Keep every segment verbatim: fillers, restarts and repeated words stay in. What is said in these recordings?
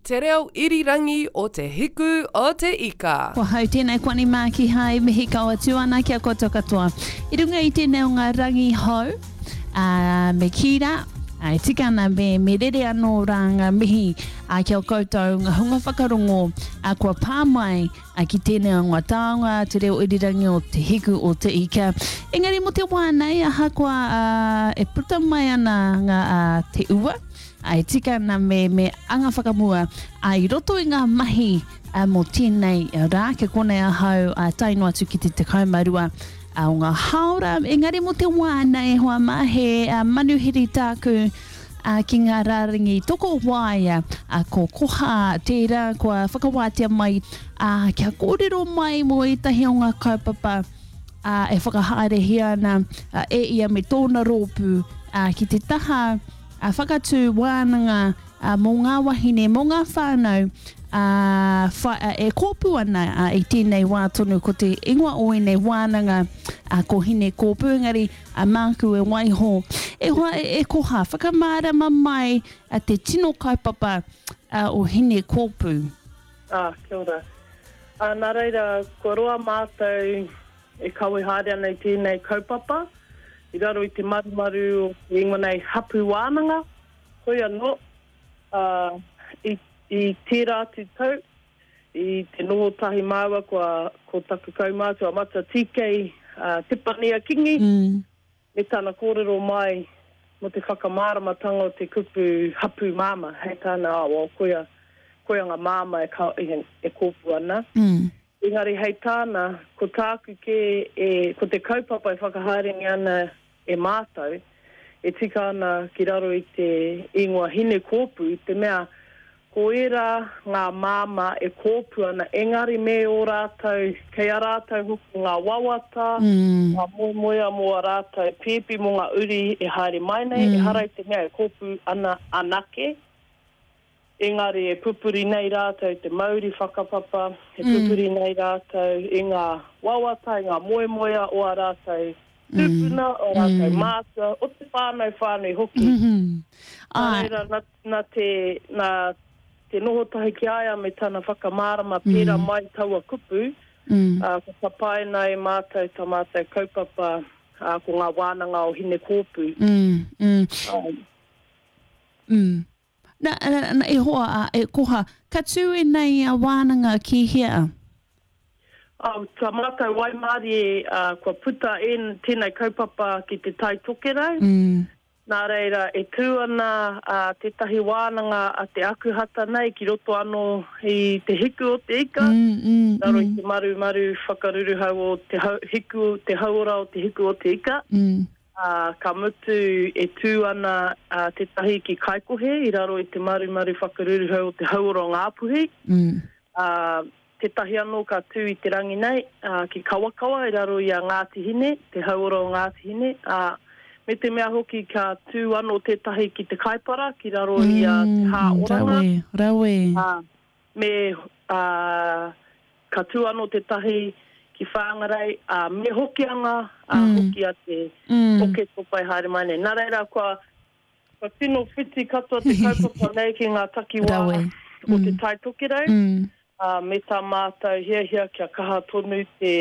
Te reo irirangi o Te Hiku o Te Ika. Ko hau tēnei koani mā ki hai mihi kau atu ana ki a koutou katoa. I runga i tēnei o ngā rangi hou, ā, me kī rā, ā, e tika ana me, me rere anō rā ngā mihi ā, ki a koutou ngā hunga whakarongo ā, kua pā mai ā, ki tēnei o ngā taonga, te reo irirangi o Te Hiku o Te Ika. Engari mō te wā nei, ahakoa ā, e puta mai ana ngā, ā, te ua, Ā, e tika ana me, me anga whakamua, ā, i roto i ngā mahi ā, mō tēnei rā, kia konei ahau ā, tae noa atu ki te tekau mā rua ā, o ngā hāora, engari mō te wā nei, e hoa mā, he ā, manuhiri tāku ā, ki ngā rārangi tokowaea, ā, ko Koha tērā kua whakawātea mai, ā, kia kōrero mai mō ētahi o ngā kaupapa, ā, e whakahaerehia ana ā, e ia me tōna rōpū, ā, ki te taha, ā, whakatū wānanga ā, mō ngā wahine, mō ngā whānau ā, wha, ā, e kōpū ana ā, i tēnei wā tonu. Ko te ingoa o ēnei wānanga ā, ko Hine Kōpū, engari ā, māku e waiho. E hoa, e, e Koha, whakamārama mai ā, te tino kaupapa ā, o Hine Kōpū. Ā, kia ora. Ā, nā reira, kua roa mātou e kawe haere ana i tēnei kaupapa. I raro i te marumaru o te ingoa nei Hapu Wānanga, hoi anō, ā, i, i tērā atu tau, i te noho tahi māua kua, ko taku kaumātua Matua TK uh, Tepania Kingi, mm. me tana kōrero mai mō te whakamāramatanga o te kupu hapu māmā, hei tāna, oh, well, koia, koia ngā māmā e, ka, e, e kōpū ana. Mm. Engari hei tāna, ko tāku kē e, ko te kaupapa e whakahaerengia ana e mātou, e tika ana ki raro i te ingoa Hine Kōpū, i te mea ko ērā ngā māmā e kōpū ana, engari me ō rātou, kei a rātou hoki ngā wawata, mm. ngā moemoeā mō ā rātou pēpi, mō ngā uri e haere mai nei, mm. ehara i te mea e kōpū ana anake, Engari e pupuri nei rātou i te mauri whakapapa, e pupuri nei rātou i ngā wawata, i ngā moemoeā o ā rātou tūpuna, o ā rātou mātua, o te whānau whānui hoki. Nā reira, nā, nā te, nā te noho tahi ki a ia me tana whakamārama pērā mai taua kupu, ā, ka tapaina e mātou tā mātou kaupapa, ā, ko ngā wānanga o Hinekōpū. Mm. Na, na, na, e hoa, a, e Koha, ka tū ēnei wānanga ki hea? Oh, tā mātou waimarie, uh, kua puta en, tēnei kaupapa ki te Tai Tokerau. Mm. Nā reira, e tū ana uh, tētahi wānanga a te Akuhata nei ki roto anō i te hiku o te ika, mm, mm, raro i mm. te marumaru whakaruruhau o te hau, hiku, te hauora o te hiku o te ika. Mm. Ā, ka mutu e tū ana tētahi ki Kaikohe i raro i te marumaru whakaruruhau o te hauora o Ngāpuhi, ā, tētahi anō ka tū i te rangi nei, ā, ki Kawakawa i raro i a Ngāti Hine, te hauora o Ngāti Hine, ā, me te mea hoki ka tū anō tētahi ki Te Kaipara ki raro i a Te Hā Oranga. Rawe, rawe. Ā, me, ā, ka tū anō tētahi ki Whāngarei, ā, me Hokianga, ā, hoki a te Oketopa e haere mai nei. Nā reira, kua, kua tino whiti katoa te kaupapa nei ki ngā takiwā o Te Tai Tokerau, ā, me tā mātou hiahia kia kaha tonu te,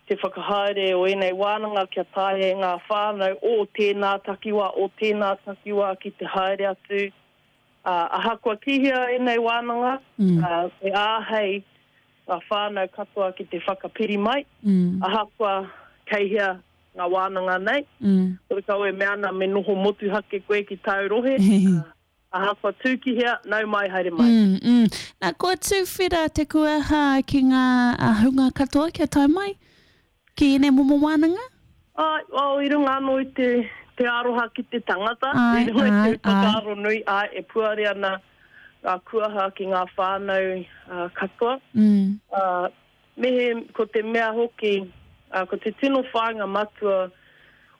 te whakahaere o ēnei wānanga kia taea e ngā whānau o tēnā takiwā, o tēnā takiwā ki te haere atu, ā, ahakoa ki hea ēnei wānanga, ā, e āhei ngā whānau katoa ki te whakapiri mai, ahakoa kei hea ngā wānanga nei. Horekau e mea ana me noho motuhake koe ki tāu rohe, ahakoa tū ki hea, nau mai, haere mai. Mm, mm. Nā, kua tuwhera te kuaha ki ngā hunga katoa kia tae mai ki ēnei momo wānanga? Āe, well, i runga anō i te, te aroha ki te tangata, i runga i te whakaaro nui, āe, e puare ana ngā kuaha ki ngā whānau katoa. Mm. Uh, me he, ko te mea hoki, uh, ko te tino whāinga matua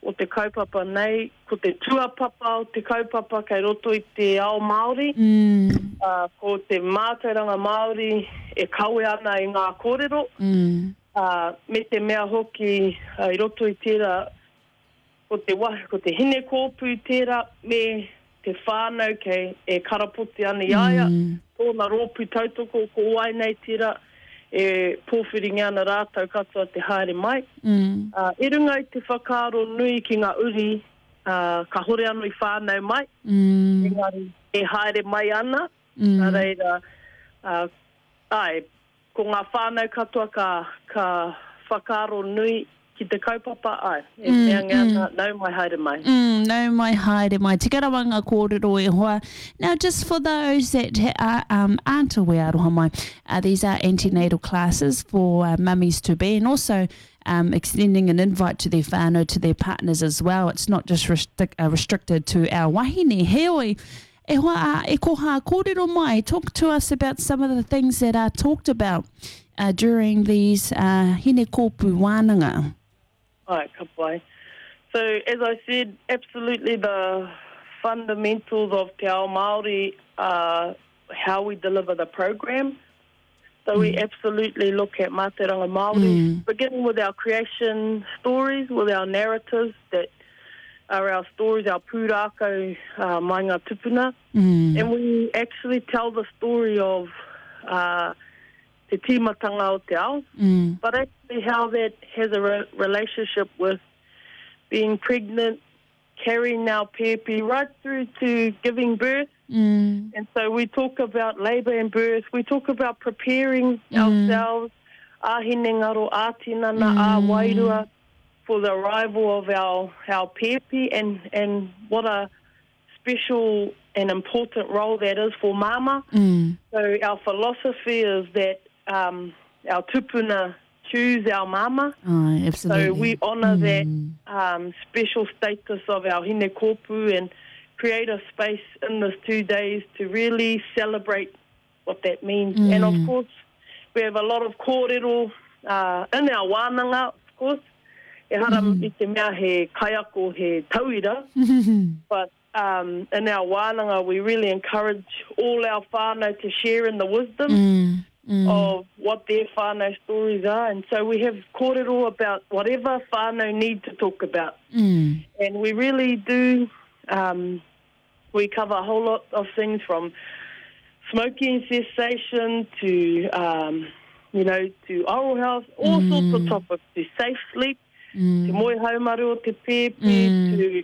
o te kaupapa nei, ko te tuapapa o te kaupapa kei roto i te ao Māori, mm. uh, ko te mātauranga Māori e kawe ana i ngā kōrero, mm. Ā, me te mea hoki, i roto i tērā, ko te wahi, ko te hinekōpū tērā, me te whānau kei e karapoti ana i a ia, mm. tōna rōpū tautoko ko wai nei tira, e pōwhiringia ana rātou katoa te haere mai. Mm. Uh, i runga i te whakaaro nui ki ngā uri, uh, ka hore anō i whānau mai, mm. engari e haere mai ana, mm. nā reira, uh, ai, ko ngā whānau katoa ka, ka whakaaro nui ki te kaupapa, ai, e Mm, mea mm. ana, nau mai haere mai. Mm, nau mai haere mai. Tika rawa ngā kōrero e hoa. Now, just for those that are, um, aren't aware, aroha mai, uh, these are antenatal classes for uh, mummies to be, and also um, extending an invite to their whānau, to their partners as well. It's not just restric uh, restricted to our wahine. Heoi, e hoa, e koha kōrero mai, talk to us about some of the things that are talked about uh, during these uh, hine kōpū wānanga. Ai, ka pai. So, as I said, absolutely the fundamentals of Te Ao Māori are how we deliver the program. So we absolutely look at Mātauranga Māori, Mm. beginning with our creation stories, with our narratives that are our stories, our pūrākau uh, mai ngā tupuna. Mm. And we actually tell the story of uh, te tīmatanga o te ao, Mm. but actually how that has a re- relationship with being pregnant, carrying our pēpi right through to giving birth. Mm. And so we talk about labour and birth. We talk about preparing ourselves, a hinengaro, a tinana, a wairua, for the arrival of our, our pēpi and, and what a special and important role that is for mama. Mm. So our philosophy is that um, our tupuna choose our mama. Ai, absolutely. So we honour that um, special status of our hine kōpū and create a space in those two days to really celebrate what that means. And of course, we have a lot of kōrero uh, in our wānanga, of course. Ehara i te mea he kaiako, he tauira, but um, in our wānanga, we really encourage all our whānau to share in the wisdom Mm. Mm. of what their whānau stories are. And so we have kōrero about whatever whānau need to talk about. Mm. And we really do, um, we cover a whole lot of things from smoking cessation to, um, you know, to oral health, all sorts of topics, to safe sleep, to moe haumaru o te pēpi, to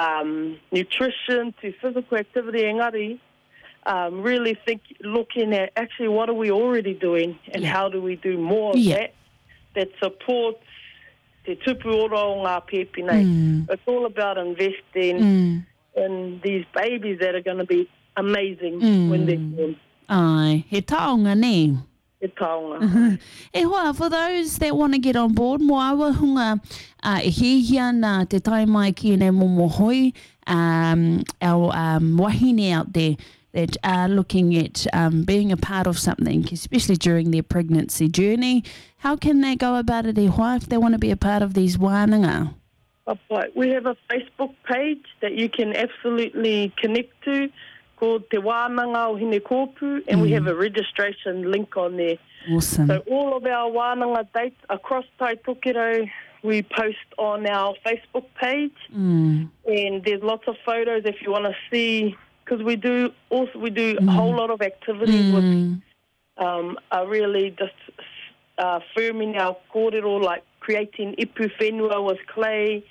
um, nutrition, to physical activity engari, um, really think, looking at actually what are we already doing and Yeah. how do we do more of Yeah. that that supports te tupu ora o ngā pēpi nei. It's all about investing Mm. in these babies that are going to be amazing when they're born. Ai, he taonga ne. He taonga. E hoa, for those that want to get on board, mo awa hunga uh, e hihia nā te tai mai ki nei momo hoi, um, our um, wahine out there that are looking at um, being a part of something, especially during their pregnancy journey. How can they go about it, e hoa, if they want to be a part of these wānanga? Pai. We have a Facebook page that you can absolutely connect to called Te Wānanga o Hine Kōpū, and we have a registration link on there. Awesome. So all of our wānanga dates across Tai Tokerau, we post on our Facebook page, Mm. and there's lots of photos if you want to see, because we do also we do a whole lot of activities with Mm. um, are really just uh, firming our kōrero, like creating ipu whenua with clay,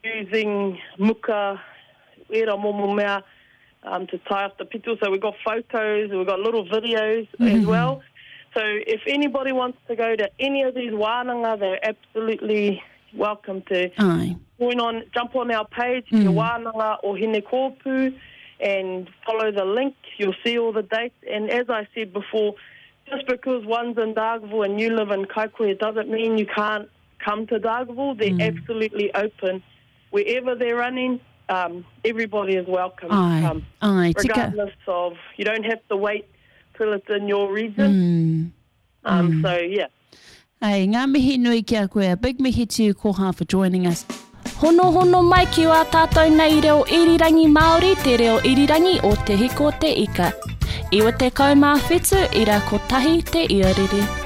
using muka, era momo mea, um, to tie off the pito. So we've got photos, we've got little videos as well. So if anybody wants to go to any of these wānanga, they're absolutely welcome to Ai. join on, jump on our page, Te Wānanga o Hine Kōpū, and follow the link. You'll see all the dates. And as I said before, just because one's in Dargaville and you live in Kaikohe doesn't mean you can't come to Dargaville. They're absolutely open. Wherever they're running, um, everybody is welcome to Ai. come. Ai, tika. Regardless of, you don't have to wait till it's in your region. Mm. Um, so, yeah. Hey, ngā mihi nui ki a koe. A big mihi to you, Koha, for joining us. Hono hono mai ki wā tātou nei reo irirangi Māori, te reo irirangi o Te Hiko Te Ika. Iwa te kau mā whitu, ira kotahi te iarere.